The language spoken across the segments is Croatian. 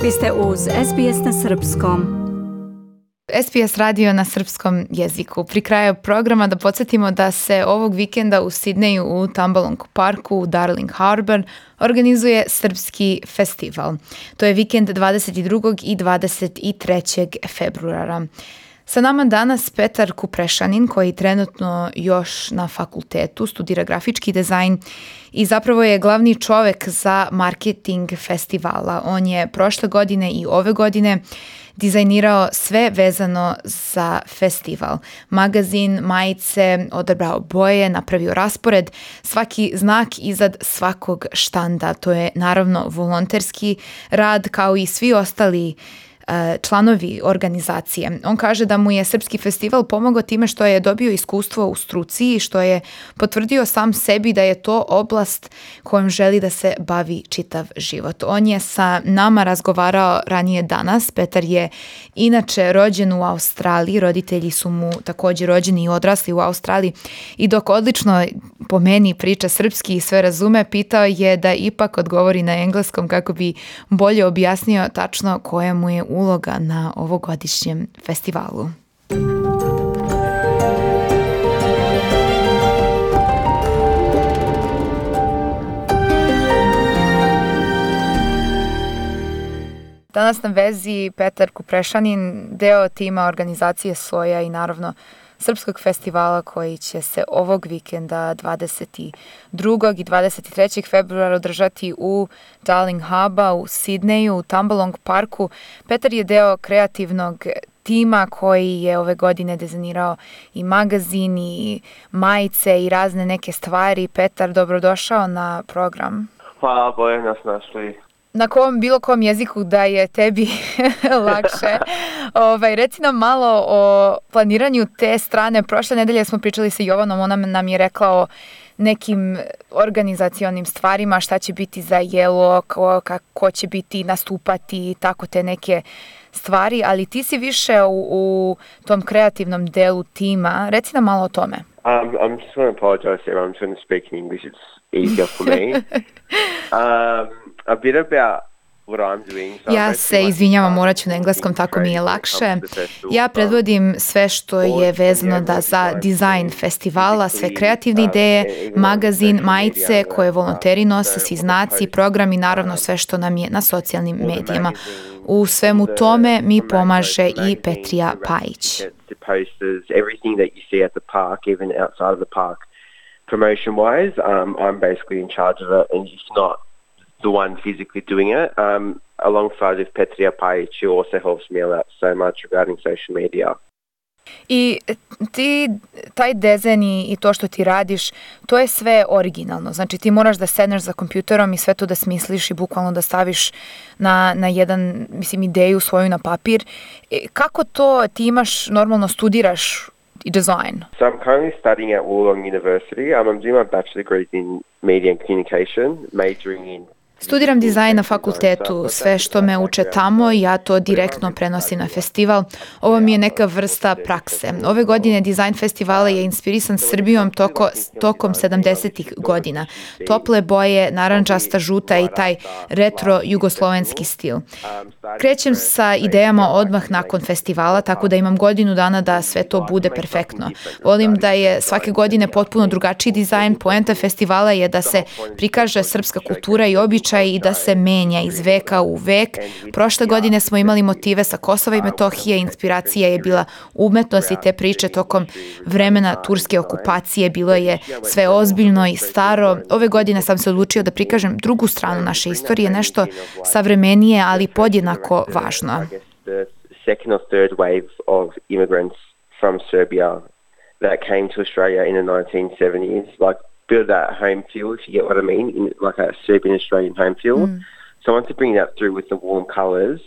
Vi ste uz SBS na Srpskom. SBS radio na srpskom jeziku. Pri kraju programa da podsjetimo da se ovog vikenda u Sidneju u Tambalong parku u Darling Harbour organizuje Srpski festival. To je vikend 22. i 23. februara. Sa nama danas Petar Kuprešanin, koji trenutno još na fakultetu studira grafički dizajn i zapravo je glavni čovek za marketing festivala. On je prošle godine i ove godine dizajnirao sve vezano za festival. Magazin, majice, odabrao boje, napravio raspored, svaki znak iznad svakog štanda. To je naravno volonterski rad kao i svi ostali članovi organizacije. On kaže da mu je Srpski festival pomogao time što je dobio iskustvo u struci i što je potvrdio sam sebi da je to oblast kojom želi da se bavi čitav život. On je sa nama razgovarao ranije danas. Petar je inače rođen u Australiji, roditelji su mu također rođeni i odrasli u Australiji i dok odlično po meni priča srpski i sve razume, pitao je da ipak odgovori na engleskom kako bi bolje objasnio tačno koja mu je uloga na ovogodišnjem festivalu. Danas na vezi Petar Kuprešanin, deo tima organizacije Soja i naravno Srpskog festivala koji će se ovog vikenda 22. i 23. februara održati u Darling Harbour u Sidneju, u Tambalong parku. Petar je deo kreativnog tima koji je ove godine dizajnirao i magazin i majice i razne neke stvari. Petar, dobrodošao na program. Hvala, bolje nas našli. Na bilo kom jeziku da je tebi lakše. Reci nam malo o planiranju te strane. Prošle nedelje smo pričali sa Jovanom, ona nam je rekla o nekim organizacionim stvarima, šta će biti za jelo, ko će biti nastupati, tako te neke stvari, ali ti si više u tom kreativnom delu tima. Reci nam malo o tome. I'm just going to apologize here. I'm trying to speak in English. It's easier for me. A bit about what I'm doing. Ja se izvinjavam, morat ću na engleskom, tako mi je lakše. Ja predvodim sve što je vezano za dizajn festivala, sve kreativne ideje, magazin, majice koje volonteri nose, svi znaci, program i naravno sve što nam je na socijalnim medijima. U svemu tome mi pomaže i Petrija Pajić. Promotion-wise, I'm basically in charge of it, and it's not the one physically doing it. Alongside with Petria Pajić, who also helps me out so much regarding social media. I ti, taj dizajn i to što ti radiš, to je sve originalno. Znači ti moraš da sedneš za kompjuterom i sve to da smisliš i bukvalno da staviš na jedan, ideju svoju na papir. Kako to ti imaš, normalno studiraš design? So I'm currently studying at Wollongong University. I'm doing my bachelor degree in media and communication, majoring in. Studiram dizajn na fakultetu. Sve što me uče tamo, ja to direktno prenosim na festival. Ovo mi je neka vrsta prakse. Ove godine dizajn festivala je inspirisan Srbijom tokom 70-ih godina. Tople boje, narandžasta, žuta i taj retro jugoslovenski stil. Krećem sa idejama odmah nakon festivala, tako da imam godinu dana da sve to bude perfektno. Volim da je svake godine potpuno drugačiji dizajn. Poenta festivala je da se prikaže srpska kultura i običaj i da se menja iz veka u vek. Prošle godine smo imali motive sa Kosova i Metohije, inspiracija je bila umetnost i te priče tokom vremena turske okupacije, bilo je sve ozbiljno i staro. Ove godine sam se odlučio da prikažem drugu stranu naše istorije, nešto savremenije, ali podjednako važno. Second or third wave of immigrants from Serbia that came to Australia in the 1970s, like build that home feel, if you get what I mean, in like a Serbian Australian home feel. So I want to bring that through with the warm colours.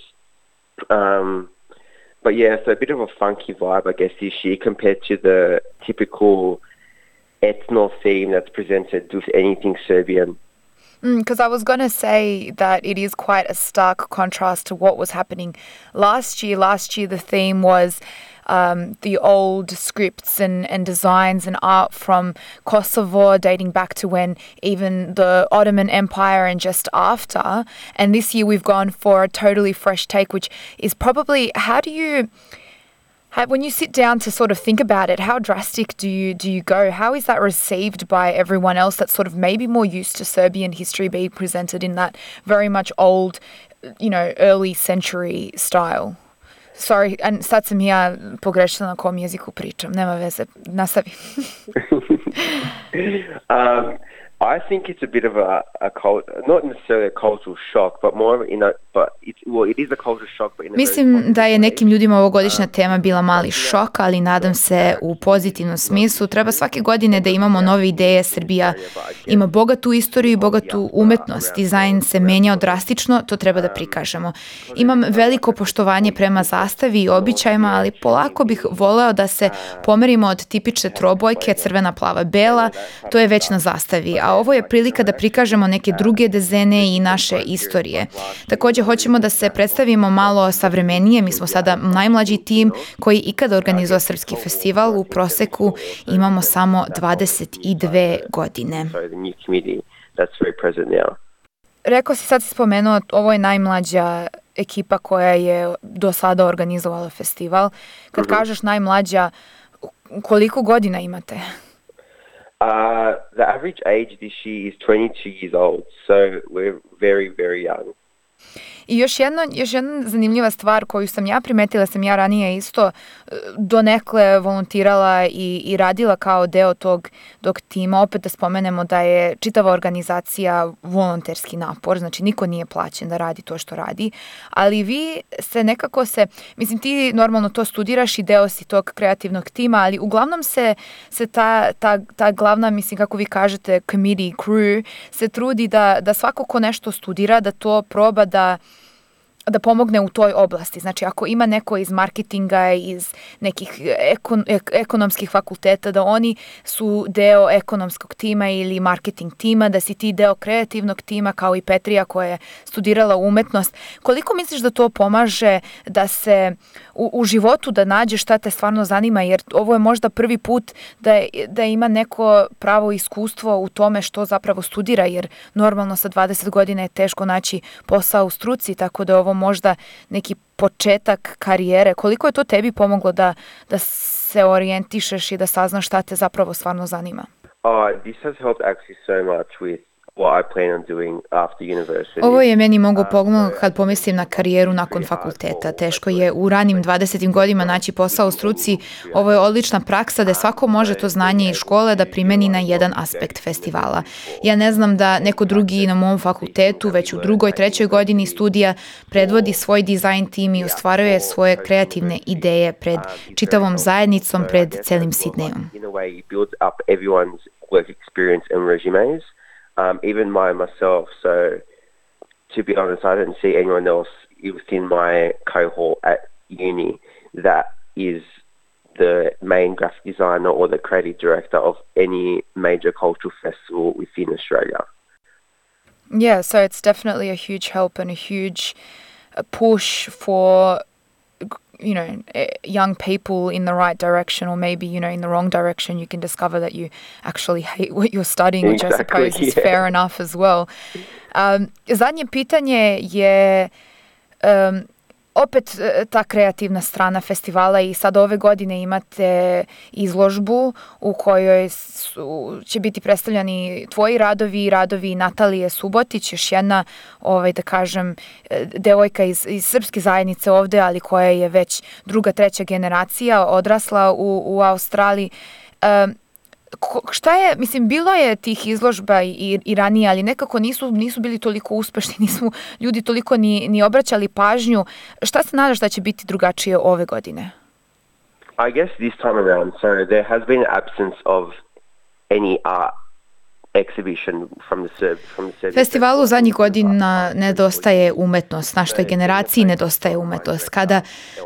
But yeah, so a bit of a funky vibe, I guess, this year compared to the typical ethno theme that's presented with anything Serbian. Because I was going to say that it is quite a stark contrast to what was happening last year. Last year the theme was the old scripts and designs and art from Kosovo dating back to when even the Ottoman Empire and just after. And this year we've gone for a totally fresh take, which is probably, when you sit down to sort of think about it, how drastic do you go? How is that received by everyone else that's sort of maybe more used to Serbian history being presented in that very much old, early century style? Sorry, and sad sam ja pogrešila na kom jeziku pričam. Nema veze, nastavi. I think it's a bit of a not necessarily a cultural shock, but more it is a cultural shock. But Mislim da je nekim ljudima ovogodišnja tema bila mali šok, ali nadam se u pozitivnom smislu. Treba svake godine da imamo nove ideje. Srbija ima bogatu istoriju i bogatu umetnost. Dizajn se menjao drastično, to treba da prikažemo. Imam veliko poštovanje prema zastavi i običajima, ali polako bih voleo da se pomerimo od tipične trobojke, crvena, plava, bela, to je već na zastavi. A ovo je prilika da prikažemo neke druge dezene i naše istorije. Također hoćemo da se predstavimo malo savremenije. Mi smo sada najmlađi tim koji ikada organizuje srpski festival. U proseku imamo samo 22 godine. Rekao si, sad si spomenuo, ovo je najmlađa ekipa koja je do sada organizovala festival. Kad kažeš najmlađa, koliko godina imate? The average age this year is 22 years old, so we're very, very young. I još jedna zanimljiva stvar koju sam ja primetila, sam ja ranije isto donekle volontirala i radila kao deo tog tima. Opet da spomenemo da je čitava organizacija volonterski napor, znači niko nije plaćen da radi to što radi, ali vi se nekako mislim ti normalno to studiraš i deo si tog kreativnog tima, ali uglavnom se ta glavna, mislim kako vi kažete, committee, crew, se trudi da svako ko nešto studira, da to proba da pomogne u toj oblasti. Znači, ako ima neko iz marketinga, iz nekih ekonomskih fakulteta, da oni su deo ekonomskog tima ili marketing tima, da si ti deo kreativnog tima, kao i Petrija koja je studirala umetnost. Koliko misliš da to pomaže da se u životu da nađeš šta te stvarno zanima, jer ovo je možda prvi put da ima neko pravo iskustvo u tome što zapravo studira, jer normalno sa 20 godina je teško naći posao u struci, tako da ovo možda neki početak karijere. Koliko je to tebi pomoglo da se orijentišeš i da saznaš šta te zapravo stvarno zanima? This has helped actually so much with what I plan on doing after university. Ovo je meni moglo pomoći kad pomislim na karijeru nakon fakulteta. Teško je u ranim 20. godinama naći posao u struci. Ovo je odlična praksa da svako može to znanje iz škole da primeni na jedan aspekt festivala. Ja ne znam da neko drugi na mom fakultetu već u 2., 3. godini studija predvodi svoj dizajn tim i ostvaruje svoje kreativne ideje pred čitavom zajednicom, pred celim Sidnejom. Work experience and resumes, even myself. So, to be honest, I didn't see anyone else within my cohort at uni that is the main graphic designer or the creative director of any major cultural festival within Australia. Yeah, so it's definitely a huge help and a huge push for young people in the right direction, or maybe, in the wrong direction. You can discover that you actually hate what you're studying, which I suppose is fair enough as well. Zadnje pitanje je opet ta kreativna strana festivala i sad ove godine imate izložbu u kojoj će biti predstavljani tvoji radovi i radovi Natalije Subotić, još jedna, da kažem, devojka iz srpske zajednice ovde, ali koja je već 2., 3. generacija, odrasla u Australiji. Šta je, mislim, bilo je tih izložba i ranije, ali nekako nisu bili toliko uspešni, nisu ljudi toliko ni obraćali pažnju. Šta se nadaš da će biti drugačije ove godine? I guess this time around, so there has been an absence of any art exhibition from the Festivalu zadnjih godina nedostaje umetnost, našoj generaciji nedostaje umetnost. Kada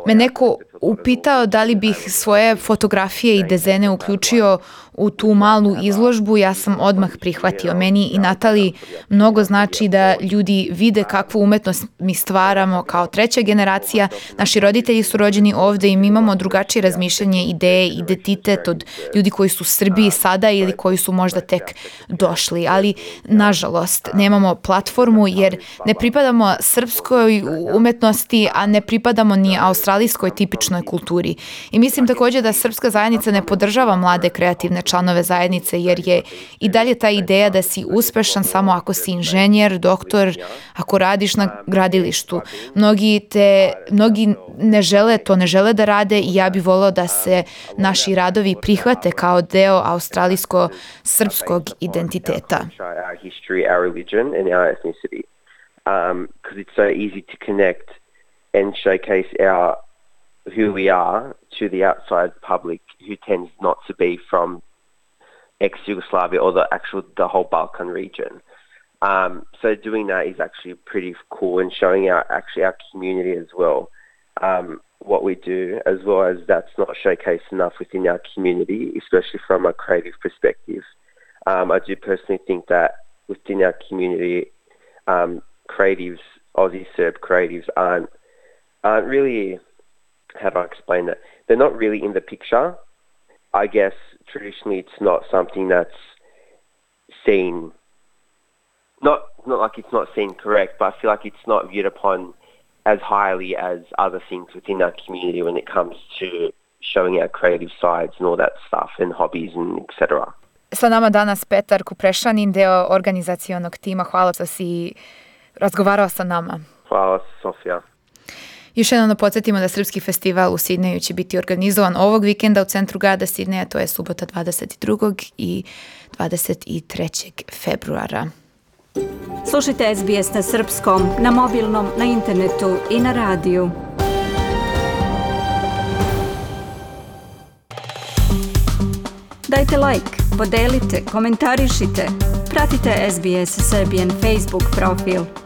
me neko upitao da li bih svoje fotografije i dezene uključio u tu malu izložbu, ja sam odmah prihvatio. Meni i Natali mnogo znači da ljudi vide kakvu umetnost mi stvaramo kao treća generacija. Naši roditelji su rođeni ovde i mi imamo drugačije razmišljanje, ideje, identitet od ljudi koji su u Srbiji sada ili koji su možda tek došli. Ali, nažalost, nemamo platformu jer ne pripadamo srpskoj umetnosti, a ne pripadamo ni australijskoj tipičnoj kulturi. I mislim također da srpska zajednica ne podržava mlade kreativne članove zajednice jer je i dalje ta ideja da si uspešan samo ako si inženjer, doktor, ako radiš na gradilištu. Mnogi ne žele da rade i ja bih voleo da se naši radovi prihvate kao deo australijsko-srpskog identiteta. Because it's so easy to connect and showcase who we are to the outside public who tends not to be from ex-Yugoslavia or the whole Balkan region. So doing that is actually pretty cool and showing our community as well what we do, as well as that's not showcased enough within our community, especially from a creative perspective. I do personally think that within our community, creatives, Aussie Serb creatives aren't really, how do I explain that? They're not really in the picture. I guess traditionally it's not something that's seen, not like it's not seen correct, but I feel like it's not viewed upon as highly as other things within our community when it comes to showing our creative sides and all that stuff and hobbies and etc. Sa nama danas Petar Kuprešanin, deo organizacionog tima. Hvala što si razgovarao sa nama. Hvala, Sofija. Još jednom da podsjetimo da Srpski festival u Sidneju će biti organizovan ovog vikenda u centru grada Sidneja, to je subota 22. i 23. februara. Slušajte SBS na srpskom, na mobilnom, na internetu i na radiju. Dajte like, podelite, komentarišite. Pratite SBS Serbian Facebook profil.